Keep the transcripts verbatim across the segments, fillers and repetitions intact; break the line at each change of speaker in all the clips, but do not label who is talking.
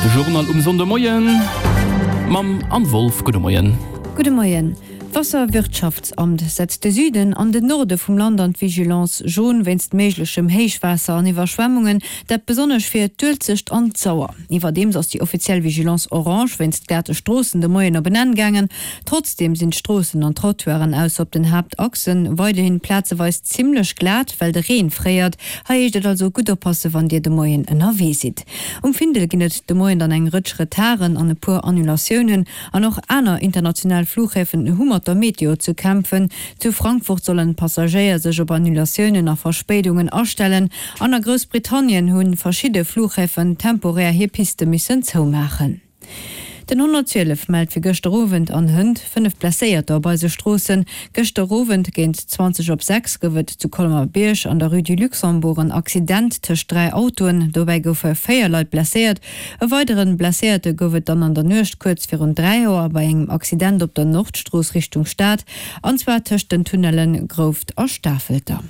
De Journal um Sonndemoien mam Anne Wolff. Gudde Moien.
Gudde Moien. D'Wasserwirtschaftsamt setzt de Süden an den Norde vum Land an d'Vigilance jaune wéinst méiglechem Héichwaasser an Iwwerschwemmungen, dat besonnesch fir d'Uelzecht an d'Sauer. Iwwerdeems ass déi offiziell Vigilance orange wéinst glate Stroossen de Moien op en Enn gaangen. Trotzdeem sinn d'Stroossen an d'Trottoiren ausser op den Haaptachsen weiderhin plazeweis zimmlech glat, well de Reen fréiert. Hei heescht et also gutt oppasse wann Dir de Moien ënnerwee sidd. Um Findel ginn et de Moien dann eng Rëtsch Retarden an e puer Annulatiounen. An och aner international Fluchhäfen hu mat der Meteo ze kämpfen. Zu Frankfurt sollen d'Passagéier sech op Annulatiounen a Verspéidungen astellen an a Groussbritannien hu verschidde Fluchhäfen temporär hir Piste missen zoumaachen. Den honnertzwielef mellt fir gëschter Owend an hënt fënnef Blesséierter op eise Stroossen. Gëschter Owend géint zwanzeg op sechs gouf et zu Colmer-Bierg an der Rue du Luxembourg en Accident tëscht dräi Autoen. Dobäi goufe véier Leit blesséiert. E weidere Blesséierte gouf et dann an der Nuecht kuerz virun dräi Auer bei engem Accident op der Nordstrooss Richtung Stad, an zwar tëscht den Tunnelle Grouft a Stafelter.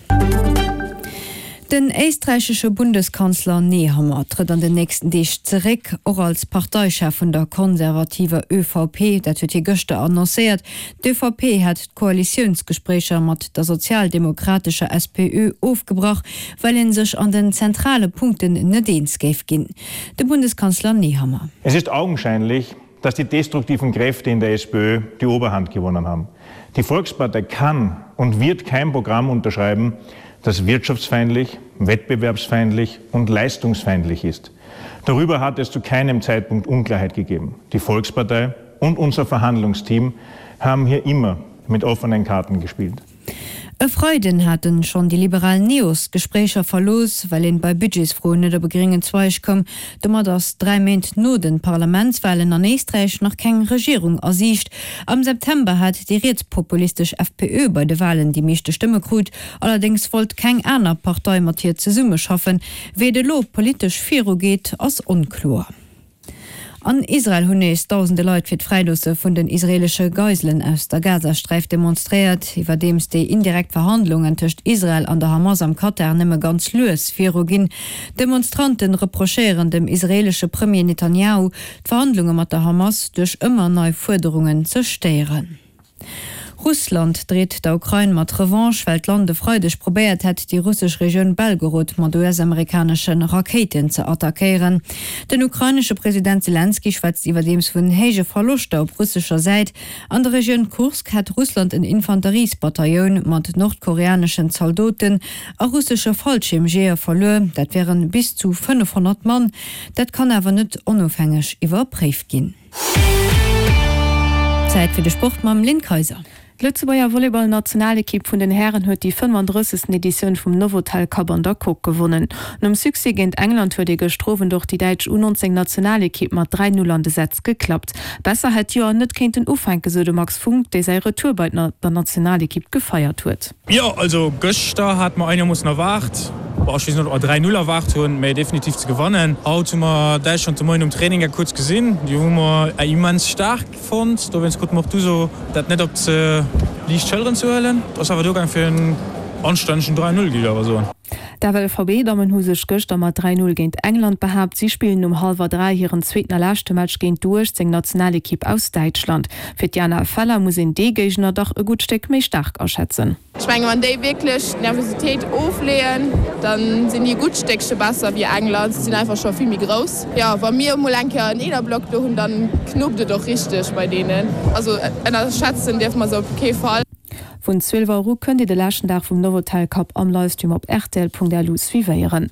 Den éisträichesche Bundeskanzler Nehammer trëtt an den nächsten Deeg zeréck, och als Parteichef vun der konservativer ÖVP. Dat huet hie gëschter annoncéiert. D'ÖVP hätt d'Koalitiounsgespréicher mat der sozialdemokratescher S P Ö ofgebrach, well ee sech an den zentrale Punkten net eens géif ginn. De Bundeskanzler Nehammer.
Es ist augenscheinlich, dass die destruktiven Kräfte in der S P Ö die Oberhand gewonnen haben. Die Volkspartei kann und wird kein Programm unterschreiben, das wirtschaftsfeindlich, wettbewerbsfeindlich und leistungsfeindlich ist. Darüber hat es zu keinem Zeitpunkt Unklarheit gegeben. Die Volkspartei und unser Verhandlungsteam haben hier immer mit offenen Karten gespielt.
E Freiden haten schonn déi liberal Neos d'Gespréicher verlooss, well een bei Budgetsfroen net op e gréngen Zweig koum. Domat ass dräi Méint no de Parlamentswalen an Éisträich nach keng Regierung a Siicht. Am September hat déi rietspopulistesch F P Ö bei de Walen déi meeschte Stëmme krut, allerdéngs wollt keng aner Partei mat hir zesummeschaffen. Wéi et elo politesch virugeet, ass onkloer. An Israel hunn nees dausende Leit fir d'Fräiloosse vun den israeelesche Geiselen aus der Gazasträif demonstréiert, iwwerdeems déi indirekt Verhandlungen tëscht Israel an der Hamas am Katar nëmme ganz lues viruginn. D'Demonstrante reprochéieren dem israeelesche Premier Netanjahu, d'Verhandlunge mat der Hamas duerch ëmmer nei Fuerderungen ze stéieren. Russland dreet der Ukrain mat Revanche, well d'Land e Freideg probéiert hätt, déi russesch Regioun Belgorod mat U S-amerikanesche Rakéiten ze attackéieren. Den ukrainesche President Selenskyj schwätzt iwwerdeems vun héije Verloschter op russescher Säit. An der Regioun Kursk hätt Russland en Infanteriesbataillon mat nordkoreaneschen Zaldoten a russesche Fallschiermjeeër verluer, dat wären bis zu fënnefhonnert Mann. Dat kann awer net onofhängeg iwwerpréift ginn. Zäit fir de Sport mam Lynn Kayser.
D'Lëtzebuerger Volleyball-Nationalekipp vun den Hären huet déi fënnfandrëssegsten Editioun vum Novotel Cup an der Coque gewonnen. Nom Succès géint England huet ee gëschter Owend och déi däitsch U nonzéng Nationalekipp mat dräi Null an de Sätz geklappt. Besser hätt d'Joer net kéinten ufänken, sou de Max Funck, dee säi Retour bei der Nationalekipp gefeiert huet.
Jo, also gëschter hate mer einermoossen erwaart, bon, ech weess net, ob mer dräi Null erwaart hunn, mä definitiv ze gewannen. Haut hu mer Däitschland de Moien um Training kuerz gesinn, déi hu mer immens staark fonnt, dowéinst krute mer och d'Uso, dat net op ze liicht Schëlleren ze huelen. Et ass awer duergaang fir en anstännegen dräi Null, géif ech awer soen.
D'F L V B-Dammen hu sech gëschter mat dräi Null géint England behaapt. Si spillen um hallwer dräi hiren zweeten a leschte Match géint d'U uechtzéng Nationalekipp aus Däitschland. Fir d'Jana Feller muss een dee Géigner dach e gutt Stéck méi staark aschätzen.
Ech mengen, wann déi wierklech d'Nervositéit ofleeën, da sinn déi e gutt Stéckche besser wéi England. Si sinn einfach scho vill méi grouss. Jo, wa mir emol eng Kéier en Eenerblock do hunn, dann knuppt et och richteg bei deenen. Also ënnerschätzen dierfe mer se op kee Fall.
Vun zwielef Auer u kënnt Dir de leschten Dag vum Novotel Cup am Livestream op rtl Punkt L U suivéieren.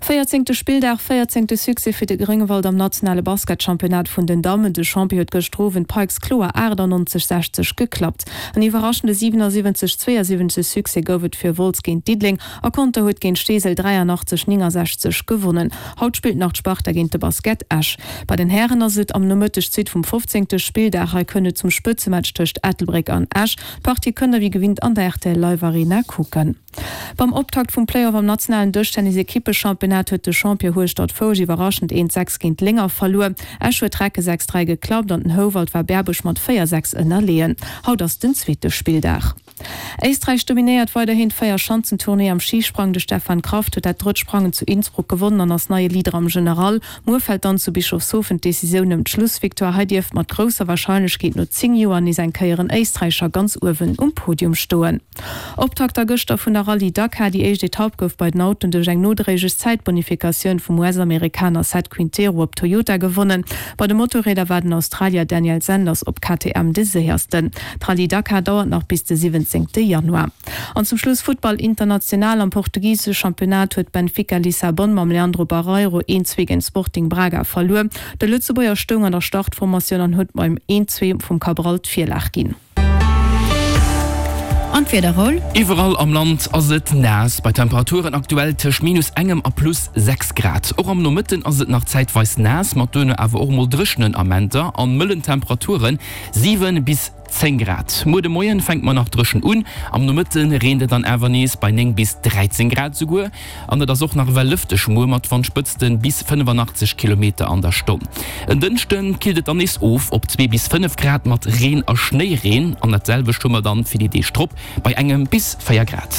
Véierzéngte Spilldag, véierzéngte Succès fir de Gréngewald am nationale Basketchampionnat vun den Dammen. De Champion huet gëschter Owend d'Pikes kloer achtannonzeg, sechzeg geklappt. En iwwerraschende siwenasiwwenzeg, zweeësiwwenzeg Succès gouf et fir Wolz géint Diddeleng a Conter huet géint Steesel dräianachtzeg, néngensechzeg gewonnen. Haut spillt nach d'Sparta géint de Basket Esch. Bei den Hären ass et am Nomëtteg d'Suite vum fofzéngte Spilldag. Hei kënnt et zum Spëtzematch tëscht Ettelbréck an Esch. D'Partie kënnt der wéi gewinnt an der R T L Live Arena kucken. Beim Optakt vum Playoff am nationalen Dëschtennis-Ekippechampionnat huet de Champion Hueschtert-Foulsch iwwerraschend eent sechs géint Lénger verluer. Esch huet d'Recke sechs dräi geklappt an den Houwald war Berbuerg mat véier sechs ënnerleeën. Haut ass den zweete Spilldag. Éisträich dominéiert weiderhin d'Véierschanzentournée am Schisprang. De Stefan Kraft huet dat drëtt Sprangen zu Innsbruck gewonnen an ass neie Leader am General. Muer fält dann zu Bischofshofen d'Decisioun ëm d'Schlussvictoire. Hei dierft mat grousser Warscheinlechkeet no zéng Joer nees eng Kéier en Éisträicher ganz uewen um Podium stoen. Optakt da gëschter vun der Rallye Dakar. Déi éischt Etapp gouf bei den Autoen duerch eng nodréiglech Zäitbonifikatioun vum US-Amerikaner Seth Quintero op Toyota gewonnen. Bei de Motorrieder war den Australier Daniel Sanders op K T M de séiersten. D'Rallye Dakar dauert nach bis de siwwenzéngte Januar. An zum Schluss Futtball international, Am portugisesche Championnat huet Benfica Lissabon mam Leandro Barreiro een zwee géint Sporting Braga verluer. De Lëtzebuerger stoung an der Startformatioun an huet beim een zwee vum Cabral d'Virlag ginn.
An d'Wieder, Raoul?
Iwwerall am Land ass et naass, bei Temperaturen aktuell tëscht minus engem a plus sechs Grad. Och am Nomëtten ass et nach zäitweis naass, mat duerno awer och mol dréchenen Amenter an mëllen Temperaturen, siwen bis zéng Grad. Muer de Moien fänkt mer nach dréchen un, am Nomëtte reent et dann awer nees bei néng bis dräizéng Grad souguer. An et ass och nach ewell lëfteg muer mat Wandspëtzte bis fënnefanaachtzeg Kilometer an der Stonn. En Dënschde killt et dann nees of op zwee bis fënnef Grad mat Reen a Schnéireen an dat selwecht hu mer dann fir déi Deeg drop bei engem bis véier Grad.